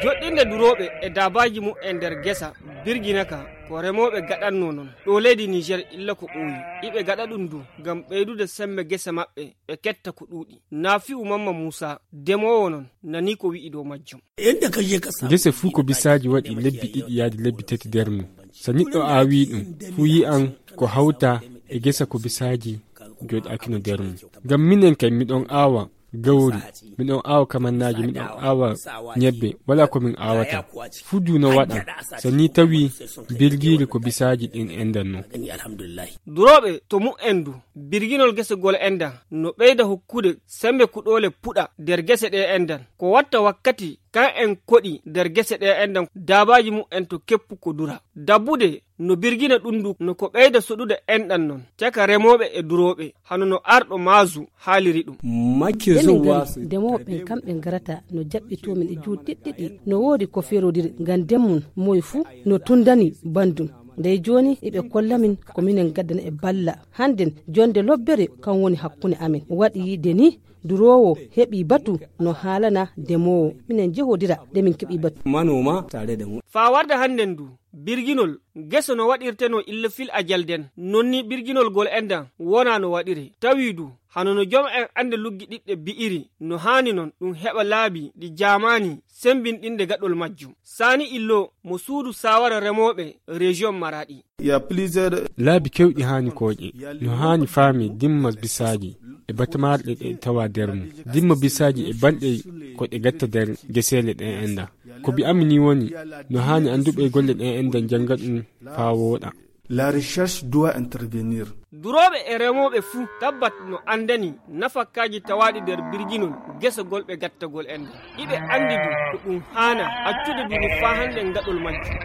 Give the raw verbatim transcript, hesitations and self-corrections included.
Joɗɗinde durooɓe e daabaaji mumen nder gesa birgina ka ko remooɓe gaɗannoo non ɗoo leydi Niger illa ko ɓooyi. Iɓe gaɗa ɗum du ngam ɓeydude semmbe gese maɓɓe ɓe ketta ko ɗuuɗi. Nafi'u Mamma Muusa, demoowo non, nanii ko wi'i dow majjum. Gese fuu ko bisaaji waɗi lebbi ɗiɗi yaade lebbi tati nder mum. So neɗɗo aawii ɗum, fuu yi'an ko hawta e gesa ko bisaaji jooɗaakino nder mum. Ngam minen kay miɗon aawa gawri, miɗon aawa kamannaaji, miɗon aawa ñebbe, walaa ko min aawata. Fuu du no waɗan, so nii tawii birgiiri ko bisaaji ɗin endan non. Durooɓe to mumen du, birginol gese gol endan no ɓeyda hokkude semmbe kuɗoole puɗa nder gese ɗe endan. Ko watta wakkati kan en koɗi nder gese ɗe endan daabaaji mumen to keppu ko dura. Dabbude no birgina ɗum du no ko ɓeyda soɗude enɗan non caka remooɓe e durooɓe, hano no arɗo maazu haaliri ɗum. Emin ngari demooɓe ɓen kamɓe ngarata no jaɓɓitoo min e juuɗe ɗiɗɗiɗi. No woodi ko feerodiri ngam ndemmun moy fuu no tundani banndum. Ndey jooni eɓe kolla min ko minen gaddana e balla. Hannden jonnde lobbere kan woni hakkunde amin. Waɗi de ni duroowo heɓi batu no haalana demoowo. Minen jehodira de min keɓi batu. Manoma tare da mu. Faa warda hannden du, birginol gese no waɗirtenoo illa fil ajal den, non ni birginol gol endan wonaa no waɗire. Tawi du, hano no jom en annde luggi ɗiɗɗe bi'iri, no haani non ɗum heɓa laabi ɗi jaamaani sembinɗinde gaɗol majjum. Saani Illo mo suudu saawara remooɓe rejiyon Maraɗi. Laabi kewɗi haani kooƴe. No haani faami dimma bisaaji e batamaarɗe ɗe tawa nder mum. Dimma bisaaji e banɗe ko ɗe gatta nder geseele ɗe enda. Ko bi ammi ni woni, no haani annduɓe golle ɗe enda njannga ɗum faa wooɗa. La recherche doit intervenir. Durooɓe e remooɓe fuu tabbat no anndani nafakkaaji tawaaɗi nder birginol gesagol ɓe gattagol enda. Iɓe anndi du ko ɗum haana accude du ni faa hannde ngaɗol majjum.